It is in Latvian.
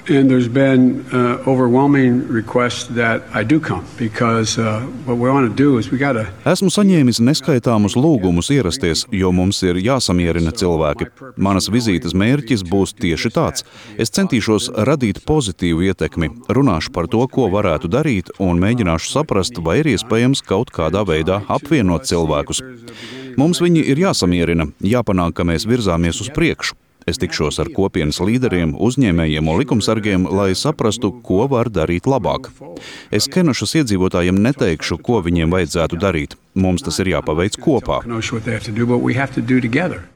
And there's been overwhelming requests that I do come because what we want to do is we got to. Esmu saņēmis neskaitāmus lūgumus ierasties, jo mums ir jāsamierina cilvēki. Manas vizītes mērķis būs tieši tāds. Es centīšos radīt pozitīvu ietekmi, runāšu par to, ko varētu darīt, un mēģināšu saprast, vai ir iespējams kaut kādā veidā apvienot cilvēkus. Mums viņi ir jāsamierina, jāpanāk, ka mēs virzāmies uz priekšu. Es tikšos ar kopienas līderiem, uzņēmējiem un likumsargiem, lai saprastu, ko var darīt labāk. Es Kenašas iedzīvotājiem neteikšu, ko viņiem vajadzētu darīt. Mums tas ir jāpaveic kopā.